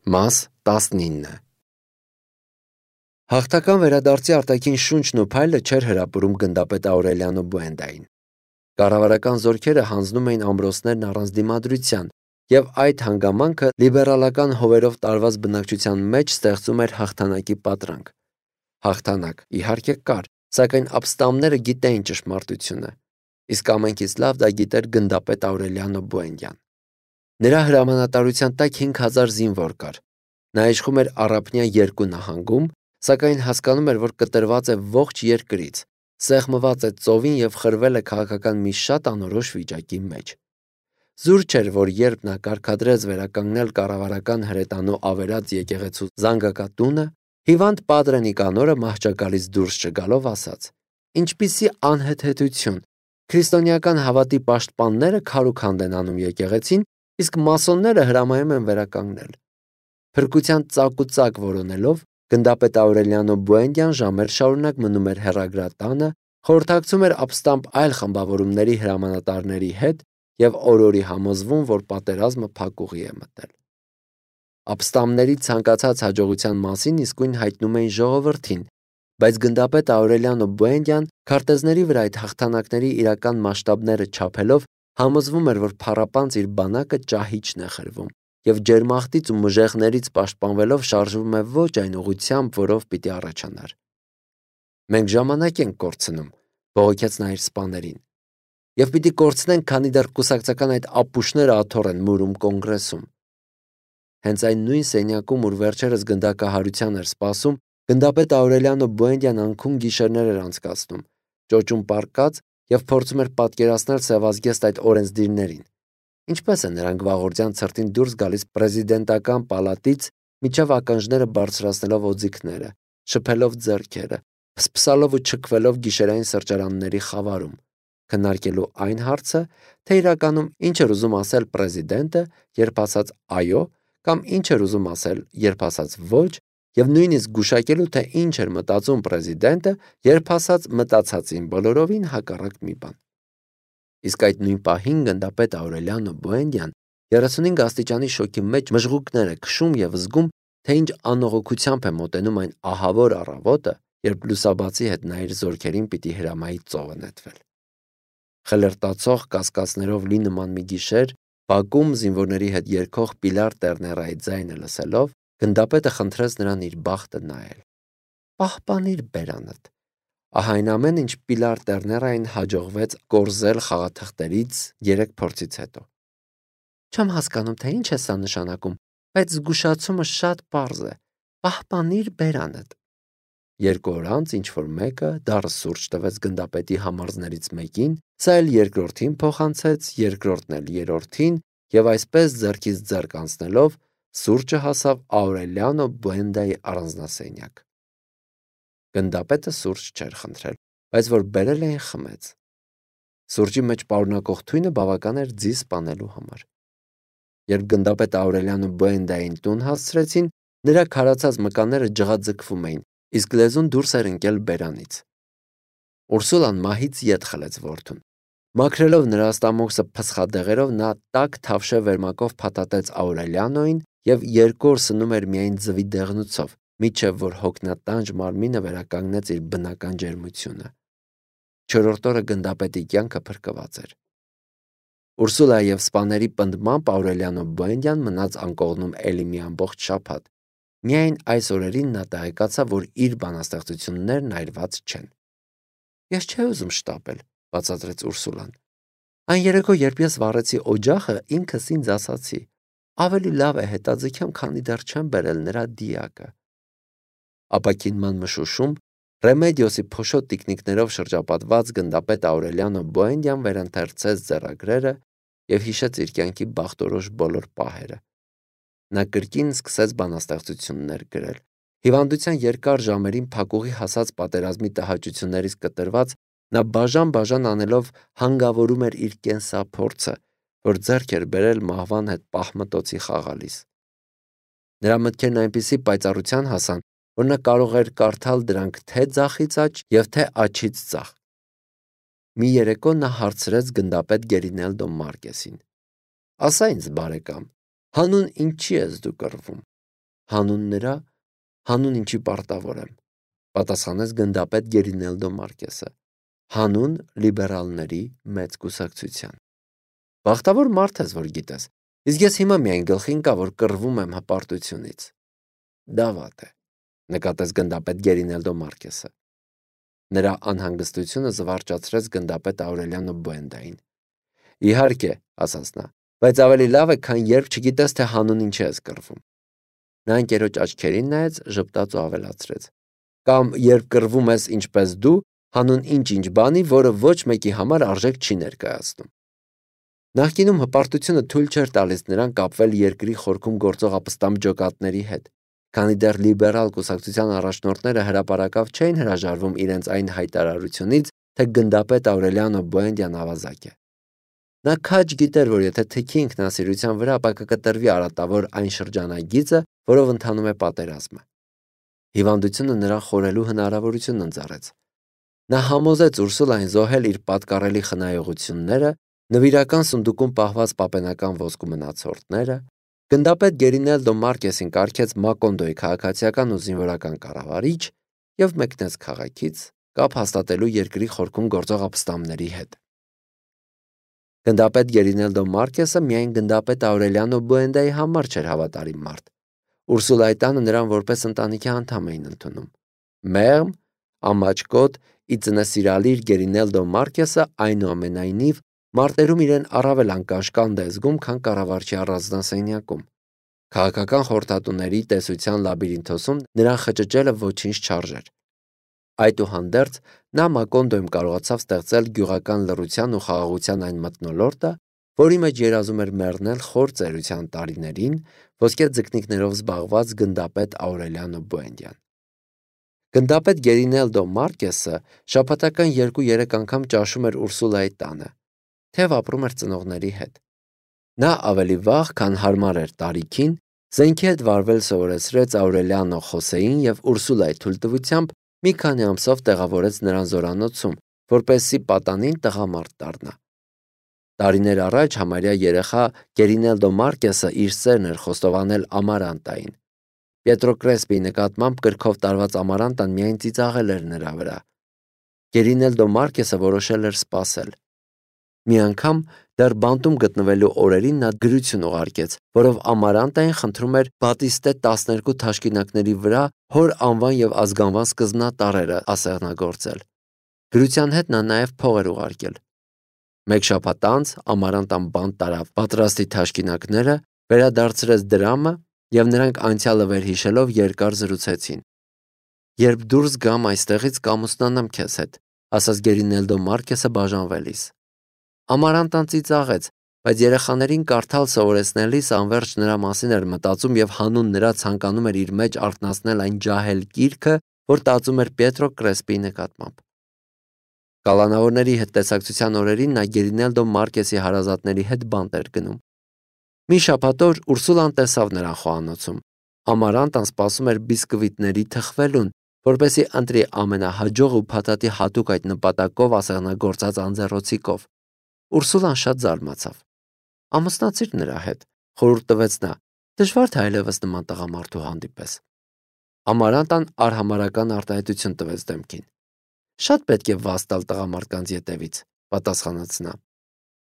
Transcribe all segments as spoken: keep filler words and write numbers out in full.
Մաս տասնինը Հաղթական վերադարձի արտաքին շունչն ու փայլը չէր հրապուրում գնդապետ Աուրելիանո Բուենդային։ Կառավարական զորքերը հանձնում էին ամրոցներն առանց դիմադրության, և այդ հանգամանքը լիբերալական հովերով տարված բնակչության մեջ ստեղծում էր հաղթանակի պատրանք։ Հաղթանակ, իհարկե, կար, սակայն ապստամբները գիտեին ճշմարտությունը, իսկ ամենքից լավ դա գիտեր գնդապետ Աուրելիանո Բուենդյան։ Նրա հրամանատարության տակ հինգ հազար զինվոր կար։ Նա իշխում էր առափնյա երկու նահանգում, սակայն հասկանում էր, որ կտրված է ողջ երկրից, սեղմված է ծովին և խրվել է քաղաքական մի շատ անորոշ վիճակի մեջ։ Զուր չէր, որ երբ նա կարգադրեց վերականգնել կառավարական հրետանու ավերած եկեղեցու զանգակատունը, հիվանդ Պատրե Նիկանորը մահճակալից դուրս չգալով ասաց. «Ինչպիսի անհեթեթություն, քրիստոնեական հավատի պաշտպանները քարուքանդ են անում եկեղեցին, իսկ մասոնները հրամայում են վերականգնել»։ Փրկության ծակուծակ որոնելով, գնդապետ Աուրելիանո Բուենդյան ժամեր շարունակ մնում էր հեռագրատանը, խորհրդակցում էր ապստամբ այլ խմբավորումների հրամանատարների հետ և օր-օրի համոզվում, որ պատերազմը փակուղի է մտել։ Ապստամբների ցանկացած հաջողության մասին իսկույն հայտնում էին ժողովրդին, բայց գնդապետ Աուրելիանո Բուենդյան քարտեզների վրա այդ հաղթանակների իրական մասշտաբները չափելով համոզվում էր, որ փառապանծ իր բանակը ճահիճն է խրվում և ջերմախտից ու մժեղներից պաշտպանվելով շարժվում է ոչ այն ուղղությամբ, որով պիտի առաջանար։ «Մենք ժամանակ ենք կորցնում», բողոքեց նա իր սպաներին, «և պիտի կորցնենք, քանի դեռ կուսակցական այդ ապուշները աթոռ են մուրում Կոնգրեսում»։ Հենց այն նույն սենյակում, ուր վերջերս գնդակահարության էր սպասում, գնդապետ Աուրելիանո Բուենդյան անքուն գիշերներ էր անցկացնում, ճոճում պառկած և փորձում էր պատկերացնել սևազգեստ այդ օրենսդիրներին։ Ինչպես են նրանք վաղորդյան ցրտին դուրս գալիս պրեզիդենտական պալատից, մինչև ականջները բարձրացնելով օձիքները, շփելով ձեռքերը, փսփսալով ու չքվելով գիշերային սրճարանների խավարում, քննարկելու այն հարցը, թե իրականում ինչ էր ուզում ասել պրեզիդենտը, երբ ասաց «այո», կամ ինչ էր ուզում ասել, երբ ասաց «ոչ», և նույնիսկ գուշակելու, թե ինչ էր մտածում պրեզիդենտը, երբ ասաց մտածածին բոլորովին հակառակ մի բան։ Իսկ այդ նույն պահին գնդապետ Աուրելիանո Բուենդյան երեսունհինգ աստիճանի շոկի մեջ մժղուկներ է քշում և զգում, թե ինչ անողոքությամբ է մոտենում այն ահավոր առավոտը, երբ լուսաբացի հետ նա իր զորքերին պիտի հրամայի ծովը նետվել։ Խլրտացող կասկածներով լի նման մի գիշեր, բակում զինվորների հետ երգող Պիլար Տերներայի ձայնը լսելով, գնդապետը խնդրեց նրան իր բախտը նայել։ «Պահպանիր բերանդ»։ Ահա այն ամենը, ինչ Պիլար Տերներային հաջողվեց կորզել խաղաթղթերից երեք փորձից հետո։ «Չեմ հասկանում, թե ինչ է սա նշանակում, բայց զգուշացումը շատ պարզ է. պահպանիր բերանդ»։ Երկու օր անց ինչ-որ մեկը դառը սուրճ տվեց գնդապետի համարզներից մեկին, սա էլ երկրորդին փոխանցեց, երկրորդն էլ երրորդին, և այսպես ձեռքից ձեռք անցնելով սուրճը հասավ Աուրելիանո Բուենդայի առանձնասենյակ։ Գնդապետը սուրճ չէր խնդրել, բայց որ բերել էին, խմեց։ Սուրճի մեջ պարունակող թույնը բավական էր ձի սպանելու համար։ Երբ գնդապետ Աուրելիանո Բուենդային տուն հասցրեցին, նրա քարացած մկանները ջղաձգվում էին, իսկ լեզուն դուրս էր ընկել բերանից։ Ուրսուլան մահից ետ խլեց որդուն։ Մաքրելով նրա ստամոքսը փսխադեղերով, նա տաք թավշե վերմակով փաթաթեց Աուրելիանոին և երկու օր սնում էր միայն ձվի դեղնուցով, մինչև որ հոգնատանջ մարմինը վերականգնեց իր բնական ջերմությունը։ Չորրորդ օրը գնդապետի կյանքը փրկված էր։ Ուրսուլայի և սպաների պնդմամբ Աուրելիանո Բուենդյան մնաց անկողնում էլի մի ամբողջ շաբաթ։ Միայն այս օրերին նա տեղեկացավ, որ իր բանաստեղծություններն այրված չեն։ «Ես չէի ուզում շտապել», բացատրեց Ուրսուլան։ «Այն երեկո, երբ ես վառեցի օջախը, ինքս ինձ ասացի. ավելի լավ է հետաձգեմ, քանի դեռ չեմ բերել նրա դիակը»։ Ապաքինման մշուշում Ռեմեդիոսի փոշոտ տիկնիկներով շրջապատված գնդապետ Աուրելիանո Բուենդյան վերընթերցեց ձեռագրերը և հիշեց իր կյանքի բախտորոշ բոլոր պահերը։ Նա կրկին սկսեց բանաստեղծություններ գրել։ Հիվանդության երկար ժամերին փակուղի հասած պատերազմի տհաճություններից կտրված, նա բաժան-բաժան անելով հանգավորում էր իր կենսափորձը, որ ձեռք էր բերել մահվան հետ պահմտոցի խաղալիս։ Նրա մտքերն այնպիսի պայծառության հասան, որ նա կարող էր կարդալ դրանք թե ձախից աջ և թե աջից ձախ։ Մի երեկո նա հարցրեց գնդապետ Գերինելդո Մարկեսին. «Ասա ինձ, բարեկամ, հանուն ինչի ես դու կռվում»։ Հանուն նրա, հանուն ինչի պարտավոր եմ, պատասխանեց գնդապետ Գերինելդո Մարկեսը, հանուն լիբերալների մեծ կուսակցության։ Բախտավոր մարդ ես, որ գիտես, իսկ ես հիմա միայն գլխին կա, որ կռվում եմ հպարտությունից։ Դա վատ է, նկատեց գնդապետ Գերինելդո Մարկեսը։ Նրա անհանգստությունը զվարճացրեց գնդապետ Աուրելիանո Բուենդային։ Իհարկե, ասաց նա, բայց ավելի լավ է, քան երբ չգիտես, թե հանուն ինչ ես կռվում։ Նա ընկերոջ աչքերին նայեց, ժպտաց ու ավելացրեց. Կամ երբ կռվում ես ինչպես դու, հանուն ինչ-ինչ բանի, որը ոչ մեկի համար արժեք չի ներկայացնում։ Նախկինում հպարտությունը թույլ չէր տալիս նրան կապվել երկրի խորքում գործող ապստամբ ջոկատների հետ, քանի դեռ լիբերալ կուսակցության առաջնորդները հրապարակավ չէին հրաժարվում իրենց այն հայտարարությունից, թե գնդապետ Աուրելիանո Բուենդյան ավազակ է։ Նա քաջ գիտեր, որ եթե թքի ինքնասիրության վրա, ապա կկտրվի արատավոր այն շրջանագիծը, որով ընթանում է պատերազմը։ Հիվանդությունը նրան խորելու հնարավորություն ընձեռեց։ Նա համոզեց Ուրսուլային զոհել իր պատկառելի խնայողությունները, նվիրական սնդուկում պահված պապենական ոսկու մնացորդները, գնդապետ Գերինելդո Մարկեսին կարգեց Մակոնդոյի քաղաքացիական ու զինվորական կառավարիչ եւ մեկնեց քաղաքից, կապ հաստատելու երկրի խորքում գործող ապստամբների հետ։ Գնդապետ Գերինելդո Մարկեսը միայն գնդապետ Աուրելիանո Բուենդայի համար չէր հավատարիմ մարդ։ Ուրսուլայի տանը նրան որպես ընտանիքի անդամ էին ընդունում։ Մեղմ, ամաչկոտ, իծնեսիրալիր Գերինելդո Մարկեսը այնուամենայնիվ մարտերում իրեն առավել անկաշկանդ է զգում, քան կառավարչի առանձնասենյակում։ Քաղաքական խորհրդատուների տեսության լաբիրինթոսում նրան խճճելը ոչինչ չարժեր։ Այդուհանդերձ նա Մակոնդոյում կարողացավ ստեղծել գյուղական լռության ու խաղաղության այն մթնոլորտը, որի մեջ երազում էր մեռնել խոր ծերության տարիներին ոսկե ձկնիկներով զբաղված գնդապետ Աուրելիանո Բուենդյան։ Գնդապետ Գերինելդո Մարկեսը շաբաթական երկու-երեք անգամ ճաշում էր Ուրսուլայի տանը, թեև ապրում էր ծնողների հետ։ Նա ավելի վաղ, քան հարմար էր տարիքին, զենքի հետ վարվել սովորեցրեց Աուրելիանո Խոսեին եւ Ուրսուլայի թույլտվությամբ մի քանի ամսով տեղավորեց նրան զորանոցում, որպեսզի պատանին տղամարդ դառնա։ Տարիներ առաջ համարյա երեխա Գերինելդո Մարկեսը իր սերն էր խոստովանել Ամարանտային։ Պիետրո Կրեսպիի նկատմամբ կրքով տարված Ամարանտան միայն ծիծաղել էր նրա վրա։ Գերինելդո Մարկեսը որոշել էր սպասել։ Մի անգամ դեռ բանտում գտնվելու օրերին նա գրություն ուղարկեց, որով Ամարանտային խնդրում էր Բատիստե տասներկու թաշկինակների վրա հոր անվան եւ ազգանվան սկզբնատարրերը ասեղնագործել։ Գրության հետ նա նաեւ փող էր ուղարկել։ Մեկ շաբաթ անց Ամարանտան բանտ տարավ պատրաստի թաշկինակները, վերադարձրեց դրամը եւ նրանք անցյալը վերհիշելով երկար զրուցեցին։ Երբ դուրս գամ այստեղից կամուսնանամ քեզ հետ, ասաց Գերինելդո Մարկեսը բաժանվելիս։ Ամարանտան ծիծաղեց, բայց երեխաներին կարդալ սովորեցնելիս անverջ նրա մասին էր մտածում եւ հանուն նրա ցանկանում էր իր մեջ արթնացնել այն ջահել կիրքը, որ տածում էր Պիետրո Կրեսպիի նկատմամբ։ Կալանավորների հետ տեսակցության օրերին նա Գերինելդո Մարկեսի հարազատների հետ բանտ էր գնում։ Մի շաբաթ օր Ուրսուլան տեսավ նրան խոհանոցում։ Ամարանտան սպասում էր բիսկվիտների թխվելուն, որպեսզի ընտրի ամենահաջող ու փաթաթի հատուկ այդ նպատակով ասեղնագործած անձեռոցիկով։ Ուրսուլան շատ զարմացավ։ Ամուսնացիր նրա հետ, խորհուրդ տվեց նա, դժվար թե այլևս նման տղամարդու հանդիպես։ Ամարանտան արհամարական արտահայտություն տվեց դեմքին։ Շատ պետք է վաստալ տղամարդկանց ետևից, պատասխանեց նա։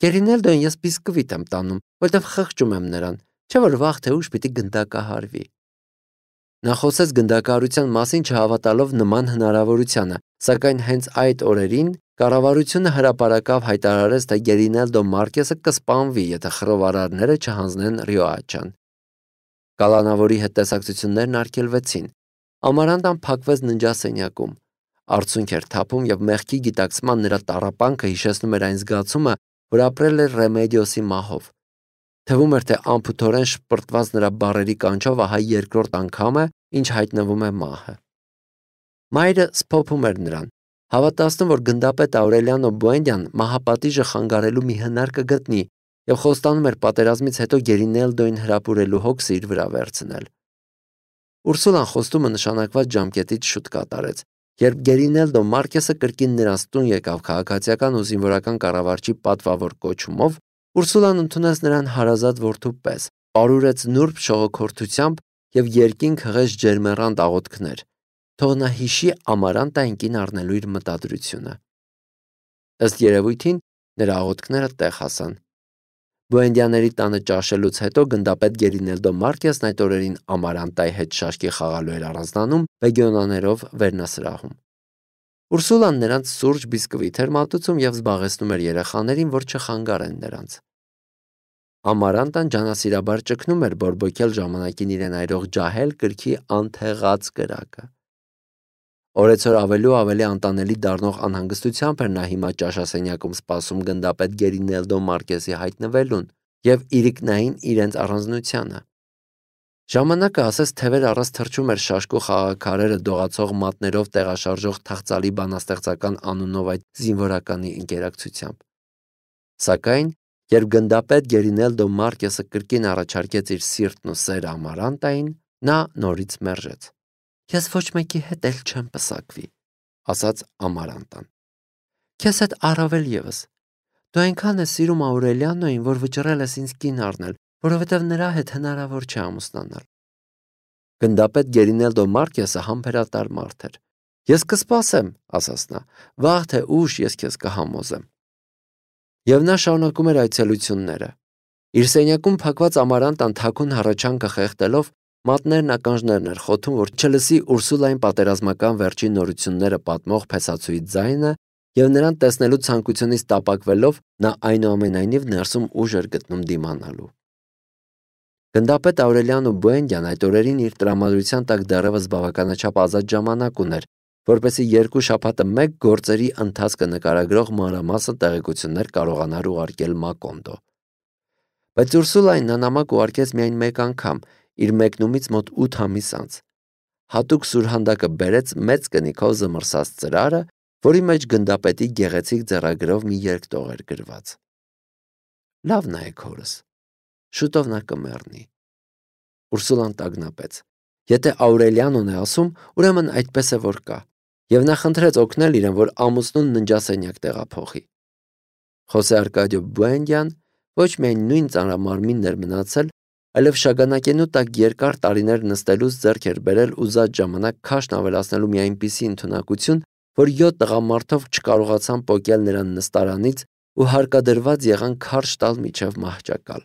Գերինելդոն ես բիսկվիտ եմ տանում, որտեվ խղճում եմ նրան, չէ՞ որ վաղ թե ուշ պիտի գնդակահարվի։ Նա խոսեց գնդակահարության մասին չհավատալով նման հնարավորությանը, սակայն հենց այդ օրերին կառավարությունը հրապարակավ հայտարարեց, թե Գերինելդո Մարկեսը կսպանվի, եթե խռովարարները չհանձնեն Ռիոաչան։ Կալանավորի հետ տեսակցություններն արգելվեցին։ Ամարանտան փակվեց ննջասենյակում։ Արցունք էր թափում եւ մեղքի գիտակցման նրա տառապանքը հիշեցնում էր այն զգացումը, որ ապրել էր Ռեմեդիոսի մահով։ Թվում էր, թե անփութորեն շպրտված նրա բառերի կանչով ահա երկրորդ անգամ է, ինչ հայտնվում է մահը։ Մայրը սփոփում էր նրան, հավատացնում, որ գնդապետ Աուրելիանո Բուենդյան մահապատիժը խանգարելու մի հնար կգտնի եւ խոստանում էր պատերազմից հետո Գերինելդոին հրապուրելու հոգսը իր վրա վերցնել։ Ուրսուլան խոստումը նշանակված ժամկետից շուտ կատարեց, երբ Գերինելդո Մարկեսը կրկին նրանց տուն եկավ քաղաքացիական ու զինվորական կառավարչի պատվավոր կոչումով, Ուրսուլան ընդունեց նրան հարազատ որդու պես, պարուրեց նուրբ շողոքորթությամբ և երկինք հղես ջերմեռանդ աղոթքներ, թող նա հիշի Ամարանտային կին առնելու իր մտադրությունը։ Ըստ երևույթին նրա աղոթքները տեղ հասան։ Բուենդիաների տանը ճաշելուց հետո գնդապետ Գերինելդո Մարկեսն այդ օրերին Ամարանտայի հետ շաշկի խաղալու էր առանձնանում բեգոնաներով վերնասրահում։ Ուրսուլան նրանց սուրճ բիսկվիթ էր մատուցում և զբաղեցնում էր երեխաներին, որ չխանգարեն նրանց։ Ամարանտան ջանասիրաբար ճգնում էր բորբոքել ժամանակին իրեն այրող ջահել կրքի անթեղած կրակը։ Օրեցօր ավելի ու ավելի անտանելի դառնող անհանգստությամբ էր նա հիմա ճաշասենյակում սպասում գնդապետ Գերինելդո Մարկեսի հայտնվելուն և իրիկնային իրենց առանձնությանը։ Ժամանակը ասես թևեր առած թռչում էր շաշկու խաղաքարերը դողացող մատներով տեղաշարժող թախծալի բանաստեղծական անունով այդ զինվորականի ընկերակցությամբ։ Սակայն, երբ գնդապետ Գերինելդո Մարկեսը կրկին առաջարկեց իր սիրտն ու սերը Ամարանտային, նա նորից մերժեց։ «Ես ոչ մեկի հետ էլ չեմ պսակվի», ասաց Ամարանտան։ «Քեզ հետ առավել ևս։ Դու այնքան ես սիրում Աուրելիանոյին, որ վճռել ես ինձ կին առնել, որովհետև նրա հետ հնարավոր չէ ամուսնանալ»։ Գնդապետ Գերինելդո Մարկեսը համբերատար մարդ էր։ «Ես կսպասեմ», ասաց նա, «վաղ թե ուշ ես քեզ կհամոզեմ»։ Եվ նա շարունակում էր այցելությունները։ Իր սենյակում փակված Ամարանտան թաքուն հառաչանքը խեղդելով մատներն ականջներն էր խոթում, որ չլսի Ուրսուլային պատերազմական վերջին նորությունները պատմող փեսացուի ձայնը, և նրան տեսնելու ցանկությունից տապակվելով նա այնուամենայնիվ ներսում ուժ էր գտնում դիմանալու։ Գնդապետ Աուրելիանո Բուենդիան այդ օրերին իր տրամադրության տակ դեռևս բավականաչափ ազատ ժամանակ ուներ, որպեսզի երկու շաբաթը մեկ գործերի ընթացքը նկարագրող մանրամասն տեղեկություններ կարողանար ուղարկել Մակոնդո։ Բայց Ուրսուլային նա նամակ ուղարկեց միայն մեկ անգամ, իր մեկնումից մոտ ութ ամիս անց։ Հատուկ սուրհանդակը բերեց մեծ կնիքով զմռսած ծրարը, որի մեջ գնդապետի գեղեցիկ ձեռագրով մի երկտող էր գրված։ «Լավ նայեք հորս, շուտով նա կմեռնի»։ Ուրսուլան տագնապեց։ Եթե Աուրելիանոն է ասում, ուրեմն այդպես է որ կա, և նա խնդրեց օգնել իրեն, որ ամուսնուն ննջասենյակ տեղափոխի։ Խոսե Արկադիո Բուենդիան ոչ միայն նույն ծանրամարմինն էր մնացել, այլև շագանակենու տակ երկար տարիներ նստելուց ձեռք էր բերել ուզած ժամանակ քաշն ավելացնելու մի այնպիսի ընդունակություն, որ յոթ տղամարդով չկարողացան պոկել նրան նստարանից ու հարկադրված եղան քարշ տալ մինչև մահճակալ։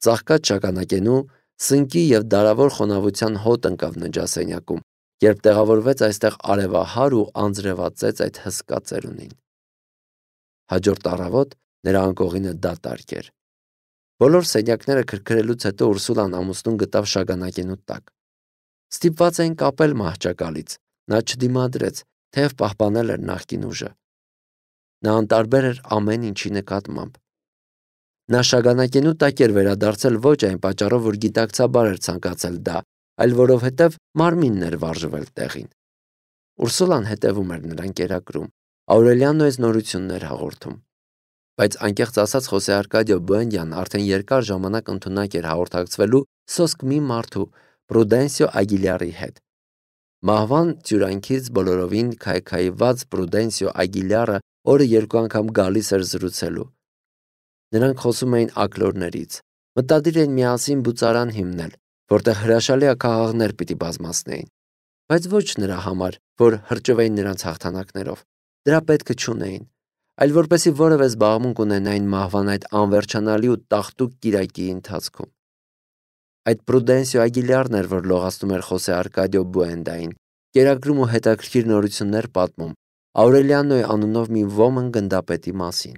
Ծաղկած շագանակենու սնկի և դարավոր խոնավության հոտ ընկավ ննջասենյակում, երբ տեղավորվեց այստեղ արևահար ու անձրևածեց այդ հսկա ծերունին։ Հաջորդ առավոտ նրա անկողինը դատարկ էր։ Բոլոր սենյակները քրքրելուց հետո Ուրսուլան ամուսնուն գտավ շագանակենու տակ։ Ստիպված էին կապել մահճակալից, նա չդիմադրեց, թեև պահպանել էր նախկին ուժը։ Նա անտարբեր էր ամեն ինչի նկատմամբ։ Նա շագանակենու տակ էր վերադարձել ոչ այն պատճառով, որ գիտակցաբար էր ցանկացել դա, այլ որովհետև մարմինն էր վարժվել տեղին։ Ուրսուլան հետևում էր նրան կերակրում, Աուրելիանոյից նորություններ հաղորդում։ Բայց անկեղծ ասած Խոսե Արկադիո Բուենդիան արդեն երկար ժամանակ ընդունակ էր հաղորդակցվելու սոսկ մի մարդու Պրուդենսիո Ագիլյարի հետ։ Մահվան ծյուրանքից բոլորովին քայքայված Պրուդենսիո Ագիլյարը օրը երկու անգամ գալիս էր զրուցելու։ Նրանք խոսում էին ակլորներից, մտադիր էին միասին բուծարան հիմնել, որտեղ հրաշալի աքաղաղներ պիտի բազմացնեին, բայց ոչ նրա համար, որ հրճվեին նրանց հաղթանակներով, դրա պետքը չունեին, այլ որպեսզի որևէ զբաղմունք ունենային մահվան այդ անվերջանալի ու տաղտուկ կիրակի ընթացքում։ Այդ Պրուդենսիո Ագիլյարն էր, որ լողացնում էր Խոսե Արկադիո Բուենդային, կերակրում ու հետաքրքիր նորություններ պատմում Աուրելիանոյի անունով մի ոմն գնդապետի մասին։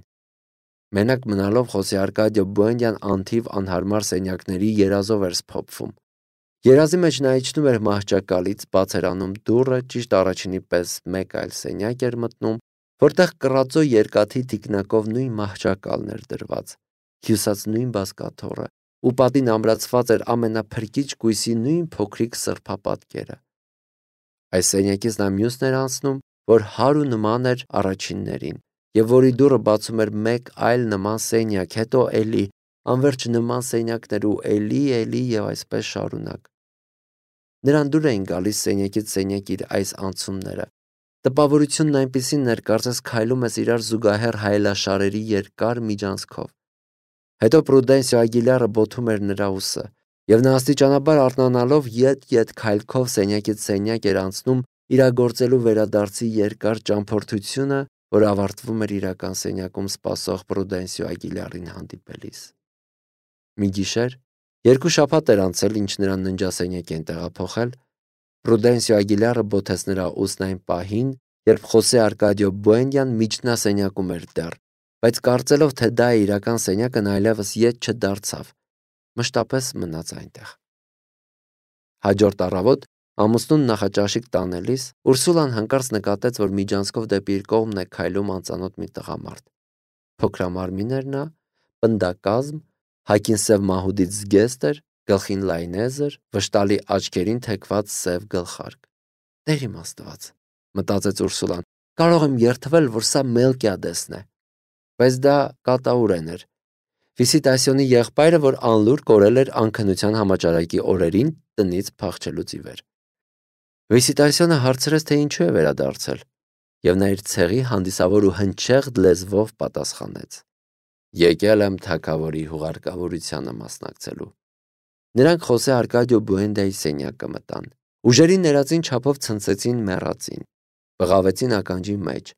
Մենակ մնալով Խոսե Արկադիո Բուենդիան անթիվ անհարմար սենյակների երազով էր սփոփվում։ Երազի մեջ նա իջնում էր մահճակալից, բաց էր անում դուռը, ճիշտ առաջինի պես մեկ այլ սենյակ էր մտնում, որտեղ կռածո երկաթի թիկնակով նույն մահճակալն էր դրված, հյուսած նույն բազկաթոռը, ու պատին ամրացված էր ամենափրկիչ կույսի նույն փոքրիկ սրբապատկերը։ Այս սենյակից նա մյուսն էր անցնում, որ հարու նման էր առաջիններին, և որի դուռը բացում էր մեկ այլ նման սենյակ, հետո էլի, անվերջ նման սենյակներ ու էլի, էլի և այսպես շարունակ։ Նրան դուր էին գալիս սենյակից սենյակ իր այս անցումները։ Տպավորությունն այնպիսին էր, կարծես քայլում ես իրար զուգահեռ հայելաշարերի երկար միջանցքով։ Հետո Պրուդենսիո Ագիլյարը բոթում էր նրա ուսը, Եվ նա աստիճանաբար արթնանալով ետ-ետ քայլքով սենյակից սենյակ էր անցնում իրագործելու վերադարձի երկար ճամփորդությունը, որ ավարտվում էր իրական սենյակում սպասող Պրուդենսիո Ագիլյարին հանդիպելիս։ Մի գիշեր, երկու շաբաթ էր անցել, ինչ նրան ննջասենյակ են տեղափոխել, Պրուդենսիո Ագիլյարը բոթեց նրա ուսն այն պահին, երբ Խոսե Արկադիո Բուենդյան միջնասենյակում էր դեռ, բայց կարծելով, թե դա է իրական սենյակը, նա այլևս ետ չդարձավ, մշտապես մնաց այնտեղ։ Հաջորդ առավոտ ամուսնուն նախաճաշիկ տանելիս Ուրսուլան հանկարծ նկատեց, որ միջանցքով դեպի իր կողմն է քայլում անծանոթ մի տղամարդ։ Փոքրամարմին էր նա, պնդակազմ, հագին սև մահուդից զգեստ էր, գլխին լայնեզր, վշտալի աչքերին թեքված սև գլխարկ։ Տեր իմ Աստված, մտածեց Ուրսուլան, կարող եմ երդվել, որ սա Մելկիադեսն է։ Բայց դա կատաուրեն էր։ Վիսիտասիոնի եղբայրը, որ անլուր կորել էր անքնության համաճարակի օրերին տնից փախչելուց ի վեր։ Վիսիտասիոնը հարցրեց, թե ինչու է վերադարձել, եւ նա իր ցեղի հանդիսավոր ու հնչեղ լեզվով պատասխանեց. Եկել եմ թագավորի հուղարկավորությանը մասնակցելու։ Նրանք Խոսե Արկադիո Բուենդայի սենյակը մտան։ Ուժերի ներածին չափով ցնցեցին մեռածին, բղավեցին ականջի մեջ,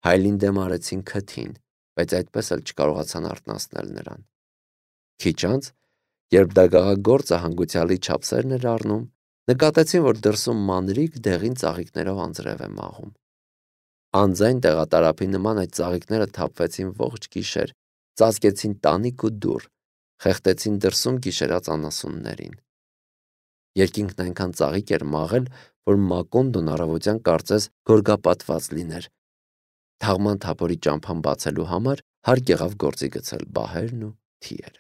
հայլին դեմ արեցին քթին, բայց այդպես էլ չկարողացան արթնացնել նրան։ Քիչ անց, երբ դագաղագործը հանգուցյալի չափսերն էր առնում, նկատեցին, որ դրսում մանրիկ դեղին ծաղիկներով անձրև է մաղում։ Անձայն տեղատարափի նման այդ ծաղիկները թափվեցին ողջ գիշեր, ծածկեցին տանիք ու դուռ, խեղդեցին դրսում գիշերած անասուններին։ Երկինքն այնքան ծաղիկ էր մաղել, որ Մակոնդոն առավոտյան կարծես գորգապատված լիներ։ Թաղման թափորի ճամփան բացելու համար հարկ եղավ գործի գցել բահերն ու թիերը։